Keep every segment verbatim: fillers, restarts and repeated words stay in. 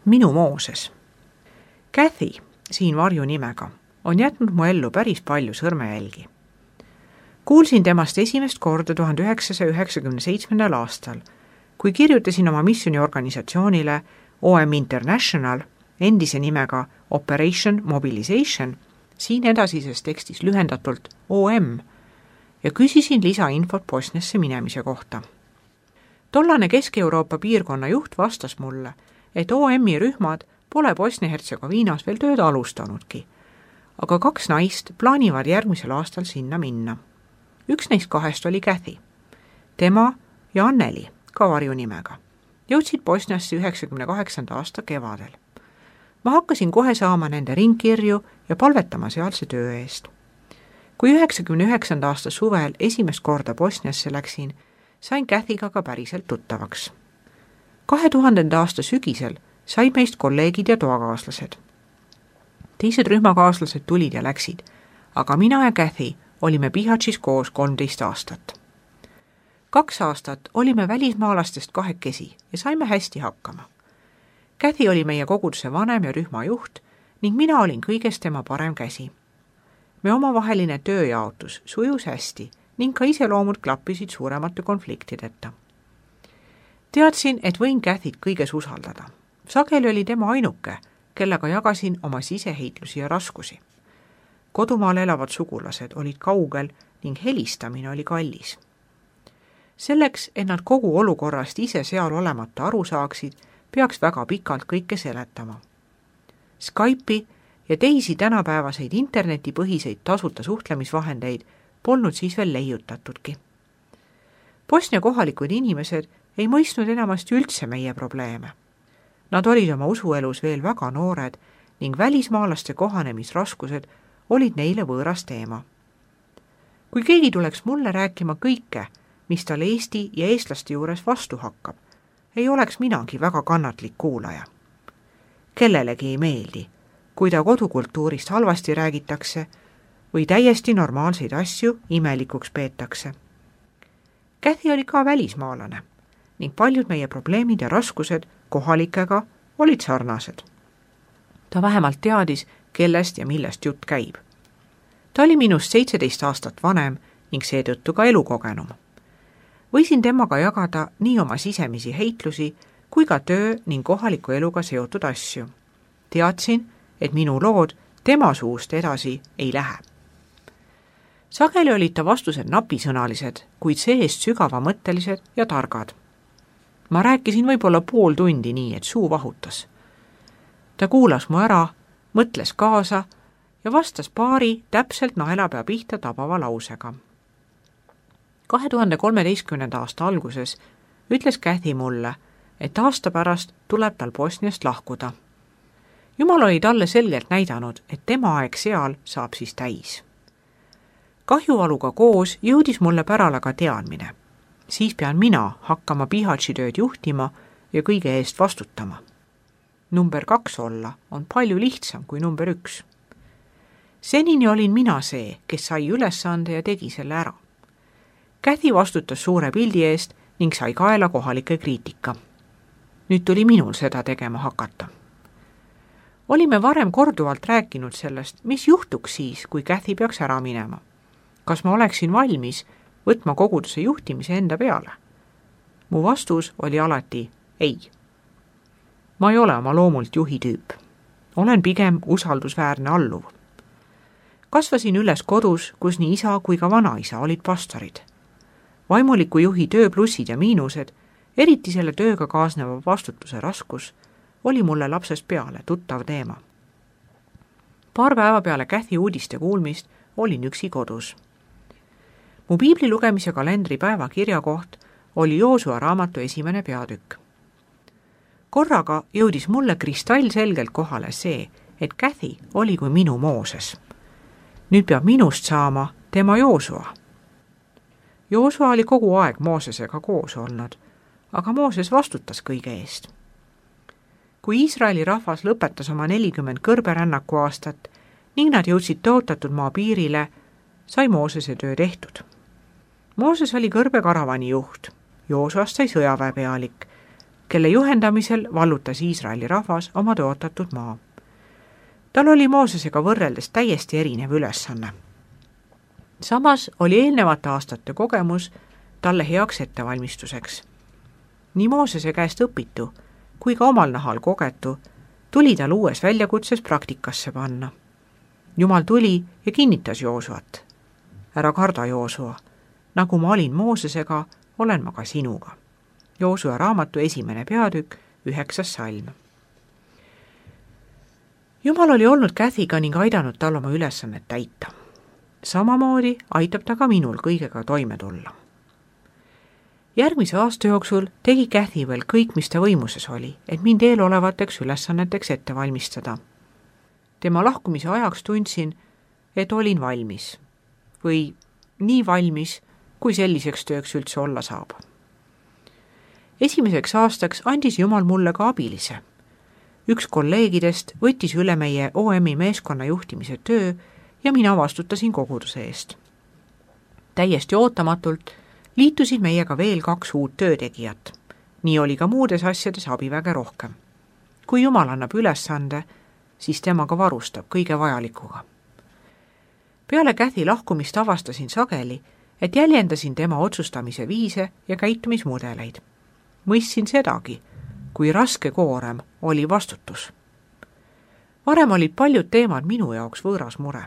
Minu Mooses. Kathy, siin varju nimega, on jätnud mu ellu päris palju sõrmejälgi. Kuulsin temast esimest korda tuhande üheksasaja üheksakümne seitsmendal aastal, kui kirjutasin oma missiooniorganisatsioonile O M International, endise nimega Operation Mobilization, siin edasises tekstis lühendatult O M, ja küsisin lisainfot Bosniasse minemise kohta. Tollane Kesk-Euroopa piirkonna juht vastas mulle, et O M-i rühmad pole Bosnia-Hertsegoviinas veel tööd alustanudki, aga kaks naist plaanivad järgmisel aastal sinna minna. Üks neist kahest oli Kathy. Tema ja Anneli, ka varju nimega, jõudsid Bosniasse üheksakümne kaheksanda aasta kevadel. Ma hakkasin kohe saama nende ringkirju ja palvetama sealse töö eest. Kui üheksakümne üheksanda aasta suvel esimest korda Bosniasse läksin, sain Kathyga ka päriselt tuttavaks. kahe tuhandenda aasta sügisel said meist kolleegid ja toakaaslased. Teised rühmakaaslased tulid ja läksid, aga mina ja Kathy olime Bihaćis koos kolmteist aastat. Kaks aastat olime välismaalastest kahekesi ja saime hästi hakkama. Kathy oli meie koguduse vanem ja rühmajuht ning mina olin kõigest tema parem käsi. Me omavaheline tööjaotus sujus hästi ning ka iseloomud klappisid suuremate konfliktideta. Teadsin, et võin Kathyt kõiges usaldada. Sageli oli tema ainuke, kellega jagasin oma siseheitlusi ja raskusi. Kodumaal elavad sugulased olid kaugel ning helistamine oli kallis. Selleks, et nad kogu olukorrast ise seal olemata aru saaksid, peaks väga pikalt kõike seletama. Skype'i ja teisi tänapäevaseid internetipõhiseid tasuta suhtlemisvahendeid polnud siis veel leiutatudki. Bosnia kohalikud inimesed ei mõistnud enamasti üldse meie probleeme. Nad olid oma usuelus veel väga noored ning välismaalaste kohanemisraskused olid neile võõras teema. Kui keegi tuleks mulle rääkima kõike, mis tal Eesti ja eestlaste juures vastu hakkab, ei oleks minagi väga kannatlik kuulaja. Kellelegi ei meeldi, kui ta kodukultuurist halvasti räägitakse või täiesti normaalseid asju imelikuks peetakse. Kathy oli ka välismaalane ning paljud meie probleemid ja raskused kohalikega olid sarnased. Ta vähemalt teadis, kellest ja millest jutt käib. Ta oli minust seitseteist aastat vanem ning seetõttu ka elukogenum. Võisin temaga jagada nii oma sisemisi heitlusi kui ka töö ning kohaliku eluga seotud asju. Teadsin, et minu lood tema suust edasi ei lähe. Sageli olid ta vastused napisõnalised, kuid see-eest sügavamõttelised ja targad. Ma rääkisin võib-olla pool tundi nii, et suu vahutas. Ta kuulas mu ära, mõtles kaasa ja vastas paari täpselt naelapea pihta tabava lausega. kahe tuhande kolmeteistkümnenda aasta alguses ütles Kathy mulle, et aasta pärast tuleb tal Bosniast lahkuda. Jumal oli talle selgelt näidanud, et tema aeg seal saab siis täis. Kahjuvaluga koos jõudis mulle pärale ka teadmine. Siis pean mina hakkama Bihaći tööd juhtima ja kõige eest vastutama. Number kaks olla on palju lihtsam kui number üks. Senini olin mina see, kes sai ülesande ja tegi selle ära. Kathy vastutas suure pildi eest ning sai kaela kohalike kriitika. Nüüd tuli minul seda tegema hakata. Olime varem korduvalt rääkinud sellest, mis juhtuks siis, kui Kathy peaks ära minema. Kas ma oleksin valmis võtma koguduse juhtimise enda peale? Mu vastus oli alati ei. Ma ei ole oma loomult juhi tüüp. Olen pigem usaldusväärne alluv. Kasvasin üles kodus, kus nii isa kui ka vanaisa olid pastorid. Vaimuliku juhi töö plussid ja miinused, eriti selle tööga kaasneva vastutuse raskus, oli mulle lapsest peale tuttav teema. Paar päeva peale Kathy uudiste kuulmist olin üksi kodus. Mu piibli lugemise kalendri päeva kirjakoht oli Joosua raamatu esimene peatükk. Korraga jõudis mulle kristallselgelt kohale see, et Kathy oli kui minu Mooses. Nüüd peab minust saama tema Joosua. Joosua oli kogu aeg Moosesega koos olnud, aga Mooses vastutas kõige eest. Kui Iisraeli rahvas lõpetas oma nelikümmend kõrberännaku aastat ning nad jõudsid tõotatud maa piirile, sai Moosese töö tehtud. Mooses oli kõrbekaravani juht, Joosuast sai sõjaväepealik, kelle juhendamisel vallutas Iisraeli rahvas oma tõotatud maa. Tal oli Moosesega võrreldes täiesti erinev ülesanne. Samas oli eelnevate aastate kogemus talle heaks ettevalmistuseks. Nii Moosese käest õpitu kui ka omal nahal kogetu tuli tal uues väljakutses praktikasse panna. Jumal tuli ja kinnitas Joosuat. Ära karda, Joosua, nagu ma olin Moosesega, olen ma ka sinuga. Joosua raamatu esimene peatükk, üheksas salm. Jumal oli olnud Cathyga ning aidanud tal oma ülesannet täita. Samamoodi aitab ta ka minul kõigega toime tulla. Järgmise aasta jooksul tegi Cathy veel kõik, mis ta võimuses oli, et mind eelolevateks ülesanneteks ette valmistada. Tema lahkumise ajaks tundsin, et olin valmis või nii valmis, kui selliseks tööks üldse olla saab. Esimeseks aastaks andis Jumal mulle ka abilise. Üks kolleegidest võttis üle meie O M-i meeskonna juhtimise töö ja mina vastutasin koguduse eest. Täiesti ootamatult liitusid meiega veel kaks uut töötegijat. Nii oli ka muudes asjades abiväge rohkem. Kui Jumal annab ülesande, siis tema ka varustab kõige vajalikuga. Peale Cathy lahkumist avastasin sageli, et jäljendasin tema otsustamise viise ja käitumismudeleid. Mõistsin sedagi, kui raske koorem oli vastutus. Varem olid paljud teemad minu jaoks võõras mure.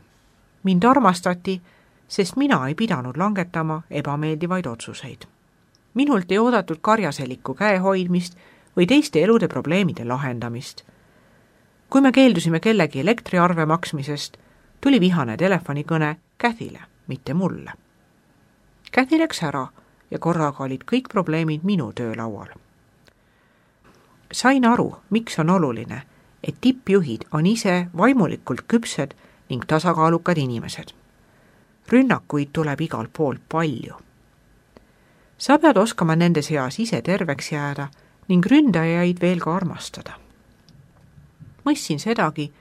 Mind armastati, sest mina ei pidanud langetama ebameeldivaid otsuseid. Minult ei oodatud karjaselikku käehoidmist või teiste elude probleemide lahendamist. Kui me keeldusime kellegi elektriarve maksmisest, tuli vihane telefonikõne Cathy'le, mitte mulle. Cathy läks ära ja korraga olid kõik probleemid minu töölaual. Sain aru, miks on oluline, et tippjuhid on ise vaimulikult küpsed ning tasakaalukad inimesed. Rünnakuid tuleb igalt poolt palju. Sa pead oskama nende seas ise terveks jääda ning ründajaid veel ka armastada. Mõistsin sedagi,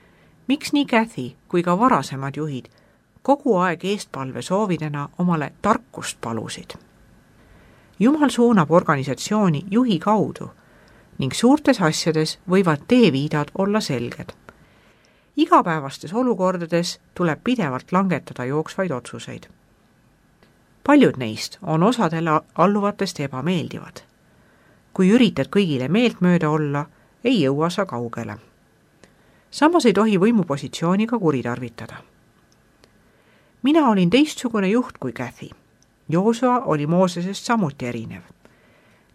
miks nii Cathy kui ka varasemad juhid kogu aeg eestpalve soovidena omale tarkust palusid. Jumal suunab organisatsiooni juhi kaudu ning suurtes asjades võivad teeviidad olla selged. Igapäevastes olukordades tuleb pidevalt langetada jooksvaid otsuseid. Paljud neist on osadele alluvatest ebameeldivad. Kui üritad kõigile meeltmööda olla, ei jõua sa kaugele. Samas ei tohi võimupositsiooniga kuritarvitada. Mina olin teistsugune juht kui Cathy. Joosua oli Moosesest samuti erinev.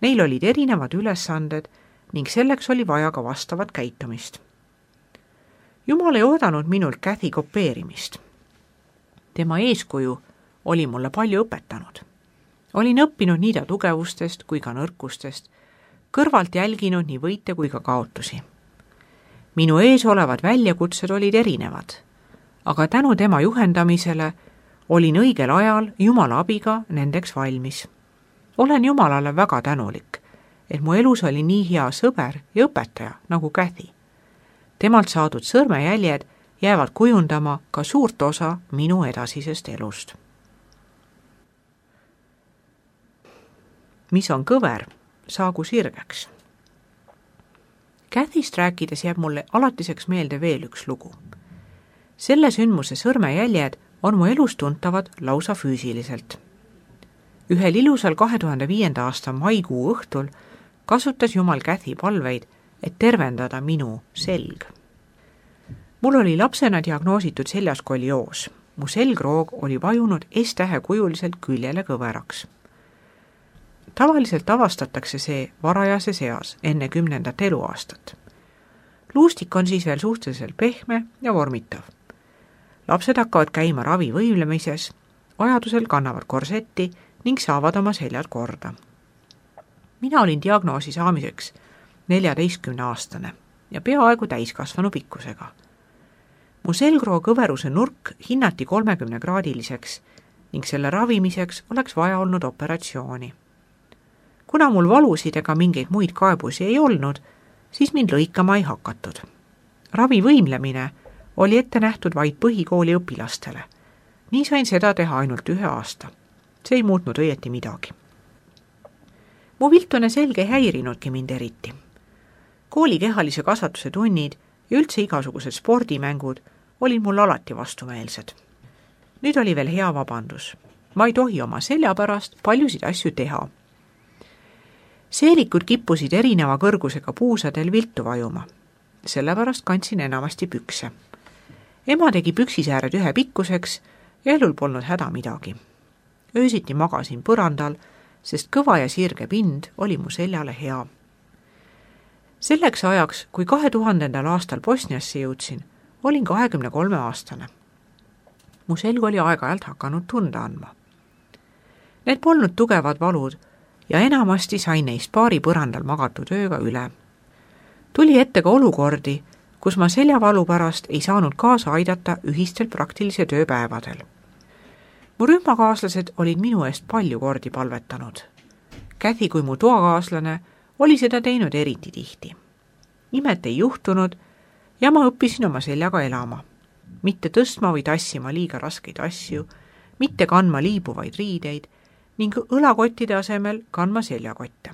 Neil olid erinevad ülesanded ning selleks oli vaja ka vastavat käitumist. Jumal ei oodanud minult Cathy kopeerimist. Tema eeskuju oli mulle palju õpetanud. Olin õppinud nii ta tugevustest kui ka nõrkustest, kõrvalt jälginud nii võite kui ka kaotusi. Minu ees olevad väljakutsed olid erinevad, aga tänu tema juhendamisele olin õigel ajal Jumala abiga nendeks valmis. Olen Jumalale väga tänulik, et mu elus oli nii hea sõber ja õpetaja nagu Cathy. Temalt saadud sõrmejäljed jäävad kujundama ka suurt osa minu edasisest elust. Mis on kõver, saagu sirgeks. Cathyst rääkides jääb mulle alatiseks meelde veel üks lugu. Selle sündmuse sõrmejäljed on mu elus tuntavad lausa füüsiliselt. Ühel ilusal kahe tuhande viienda aasta maikuu õhtul kasutas Jumal Cathy palveid, et tervendada minu selg. Mul oli lapsena diagnoositud seljas skolioos. Mu selgroog oli vajunud S-tähe kujuliselt küljele kõveraks. Tavaliselt avastatakse see varajase seas enne kümnendat eluaastat. Luustik on siis veel suhteliselt pehme ja vormitav. Lapsed hakkavad käima ravi võimlemises, vajadusel kannavad korsetti ning saavad oma seljad korda. Mina olin diagnoosi saamiseks neljateistkümne aastane ja peaaegu täiskasvanu pikkusega. Mu selgroo kõveruse nurk hinnati kolmekümne kraadiliseks ning selle ravimiseks oleks vaja olnud operatsiooni. Kuna mul valusid ega mingeid muid kaebusi ei olnud, siis mind lõikama ei hakatud. Ravi võimlemine oli ette nähtud vaid põhikooli õpilastele. Nii sain seda teha ainult ühe aasta. See ei muutnud õieti midagi. mu viltune selge ei häirinudki mind eriti. Kooli kehalise kasvatuse tunnid ja üldse igasugused spordimängud olid mul alati vastumeelsed. Nüüd oli veel hea vabandus. Ma ei tohi oma selja pärast paljusid asju teha. Seelikud kippusid erineva kõrgusega puusadel viltu vajuma. Sellepärast kandsin enamasti pükse. Ema tegi püksisääred ühe pikkuseks ja elul polnud häda midagi. Öösiti magasin põrandal, sest kõva ja sirge pind oli mu seljale hea. Selleks ajaks, kui kahe tuhandendal aastal Bosniasse jõudsin, olin kahekümne kolme aastane. Mu selg oli aeg-ajalt hakanud tunda andma. Need polnud tugevad valud ja enamasti sain neist paari põrandal magatud ööga üle. Tuli ette ka olukordi, kus ma seljavalu pärast ei saanud kaasa aidata ühistel praktilise tööpäevadel. Mu rühmakaaslased olid minu eest palju kordi palvetanud. Käthi kui mu toakaaslane oli seda teinud eriti tihti. Imet ei juhtunud ja ma õppisin oma seljaga elama. Mitte tõstma või tassima liiga raskeid asju, mitte kandma liibuvaid riideid ning õlakottide asemel kandma seljakotte.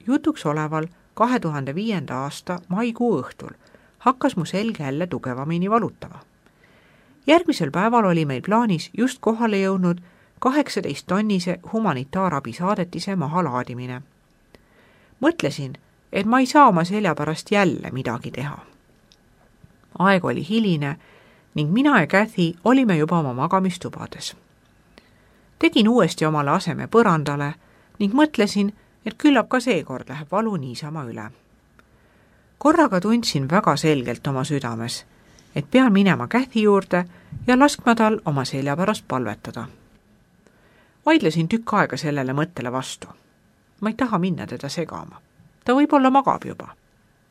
Jutuks oleval kahe tuhande viienda aasta maikuu õhtul hakkas mu selg jälle tugevamini valutama. Järgmisel päeval oli meil plaanis just kohale jõudnud kaheksateist tonnise humanitaarabi saadetise mahalaadimine. Mõtlesin, et ma ei saa oma selja pärast jälle midagi teha. Aeg oli hiline ning mina ja Käthi olime juba oma magamistubades. Tegin uuesti omale aseme põrandale ning mõtlesin, et küllap ka seekord läheb valu niisama üle. Korraga tundsin väga selgelt oma südames, et pean minema Käthi juurde ja laskma tal oma selja pärast palvetada. Vaidlesin tükk aega sellele mõttele vastu. Ma ei taha minna teda segama. Ta võib-olla magab juba.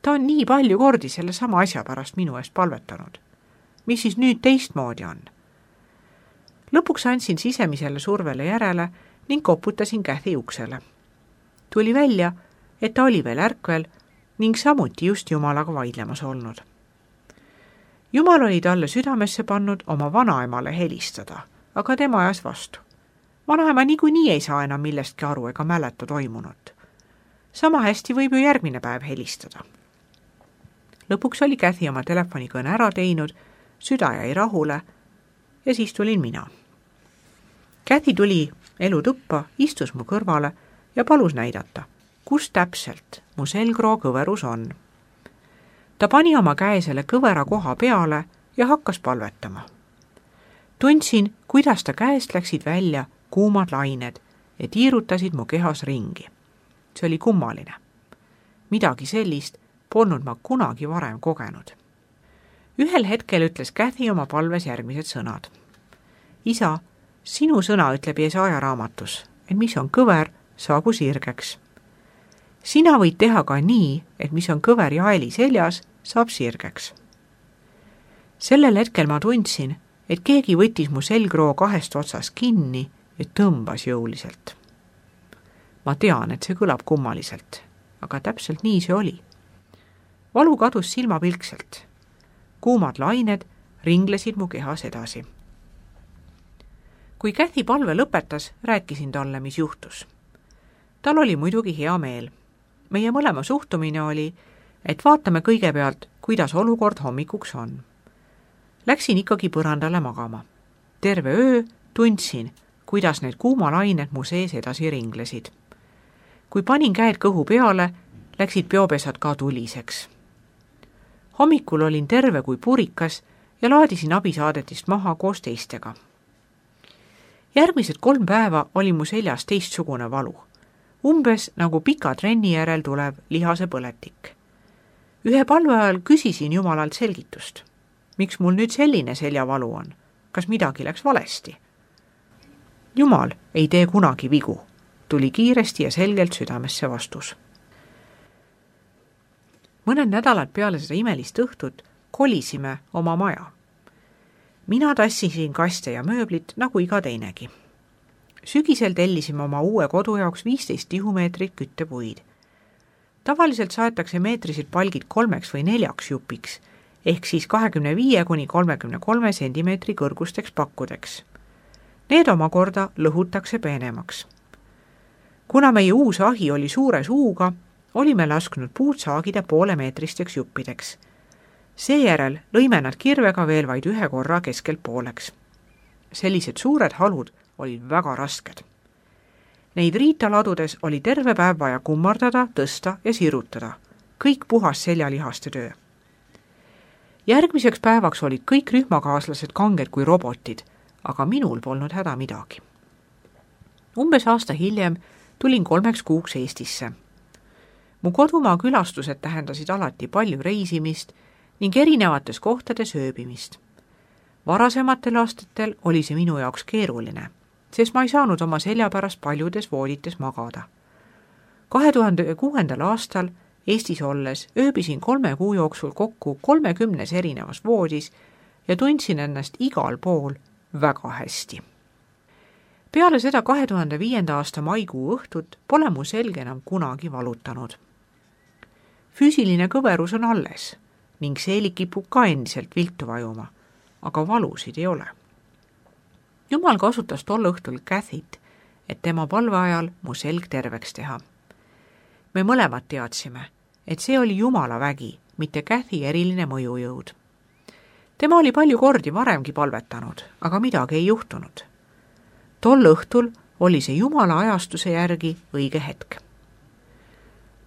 Ta on nii palju kordi selle sama asja pärast minu eest palvetanud. Mis siis nüüd teistmoodi on? Lõpuks andsin sisemisele survele järele ning koputasin Käthi uksele. Tuli välja, et ta oli veel ärkvel ning samuti just Jumalaga vaidlemas olnud. Jumal oli talle südamesse pannud oma vanaemale helistada, aga tema ajas vastu. Vanaema niikuinii ei saa enam millestki aru ega mäleta toimunut. Sama hästi võib ju järgmine päev helistada. Lõpuks oli Käthi oma telefonikõne ära teinud, süda jäi rahule ja siis tulin mina. Käthi tuli elutuppa, istus mu kõrvale ja palus näidata, kus täpselt mu selgroo kõverus on. Ta pani oma käe selle kõvera koha peale ja hakkas palvetama. Tundsin, kuidas ta käest läksid välja kuumad lained ja tiirutasid mu kehas ringi. See oli kummaline. Midagi sellist polnud ma kunagi varem kogenud. Ühel hetkel ütles Käthi oma palves järgmised sõnad. Isa, sinu sõna ütleb Jesaja raamatus, et mis on kõver, saagu sirgeks. Sina võid teha ka nii, et mis on kõver jaeli seljas, saab sirgeks. Sellel hetkel ma tundsin, et keegi võttis mu selgroo kahest otsast kinni ja tõmbas jõuliselt. Ma tean, et see kõlab kummaliselt, aga täpselt nii see oli. Valu kadus silmapilkselt. Kuumad lained ringlesid mu kehas edasi. Kui Käthi palve lõpetas, rääkisin talle, mis juhtus. Tal oli muidugi hea meel. Meie mõlema suhtumine oli, et vaatame kõigepealt, kuidas olukord hommikuks on. Läksin ikkagi põrandale magama. Terve öö tundsin, kuidas need kuumalained mu sees edasi ringlesid. Kui panin käed kõhu peale, läksid peopesad ka tuliseks. Hommikul olin terve kui purikas ja laadisin abisaadetist maha koos teistega. Järgmised kolm päeva oli mu seljas teistsugune valu. Umbes nagu pika trenni järel tulev lihase põletik. Ühe palve ajal küsisin Jumalalt selgitust. Miks mul nüüd selline seljavalu on? Kas midagi läks valesti? Jumal ei tee kunagi vigu, tuli kiiresti ja selgelt südamesse vastus. Mõned nädalad peale seda imelist õhtut kolisime oma maja. Mina tassisin kaste ja mööblit nagu iga teinegi. Sügisel tellisime oma uue kodu jaoks viisteist tihumeetrit küttepuid. Tavaliselt saetakse meetrised palgid kolmeks või neljaks jupiks, ehk siis kahekümne viie kuni kolmekümne kolme sentimeetri kõrgusteks pakkudeks. Need omakorda lõhutakse peenemaks. kuna meie uus ahi oli suure suuga, olime lasknud puud saagida poolemeetristeks juppideks. Seejärel lõime nad kirvega veel vaid ühe korra keskelt pooleks. Sellised suured halud olid väga rasked. Neid riita ladudes oli terve päev vaja kummardada, tõsta ja sirutada. Kõik puhas seljalihaste töö. Järgmiseks päevaks olid kõik rühmakaaslased kanged kui robotid, aga minul polnud häda midagi. Umbes aasta hiljem tulin kolmeks kuuks Eestisse. Mu kodumaa külastused tähendasid alati palju reisimist ning erinevates kohtades ööbimist. Varasematel aastatel oli see minu jaoks keeruline, sest ma ei saanud oma selja pärast paljudes voodites magada. kahe tuhande kuuendal aastal Eestis olles ööbisin kolme kuu jooksul kokku kolmekümnes erinevas voodis ja tundsin ennast igal pool väga hästi. Peale seda kahe tuhande viienda aasta maikuu õhtut pole mu selge enam kunagi valutanud. Füüsiline kõverus on alles ning seelik kipub ka endiselt viltu vajuma, aga valusid ei ole. Jumal kasutas tol õhtul Cathyt, et tema palve ajal mu selg terveks teha. Me mõlemad teadsime, et see oli Jumala vägi, mitte Cathy eriline mõjujõud. Tema oli palju kordi varemgi palvetanud, aga midagi ei juhtunud. Tol õhtul oli see Jumala ajastuse järgi õige hetk.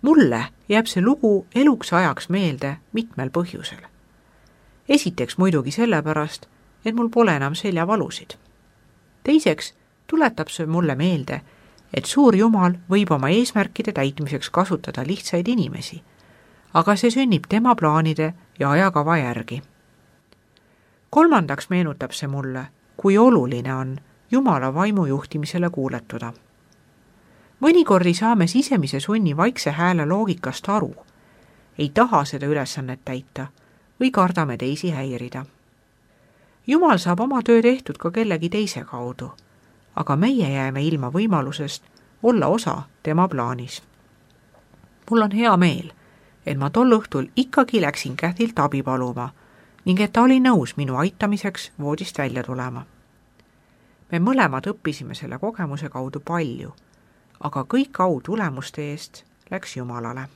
Mulle jääb see lugu eluks ajaks meelde mitmel põhjusel. Esiteks muidugi sellepärast, et mul pole enam seljavalusid. Teiseks tuletab see mulle meelde, et suur Jumal võib oma eesmärkide täitmiseks kasutada lihtsaid inimesi, aga see sünnib tema plaanide ja ajakava järgi. Kolmandaks meenutab see mulle, kui oluline on Jumala vaimu juhtimisele kuuletuda. Mõnikord ei saa me sisemise sunni vaikse hääle loogikast aru, ei taha seda ülesannet täita või kardame teisi häirida. Jumal saab oma töö tehtud ka kellegi teise kaudu, aga meie jääme ilma võimalusest olla osa tema plaanis. Mul on hea meel, et ma tol õhtul ikkagi läksin Cathylt abi paluma ning et ta oli nõus minu aitamiseks voodist välja tulema. Me mõlemad õppisime selle kogemuse kaudu palju, aga kõik au tulemuste eest läks Jumalale.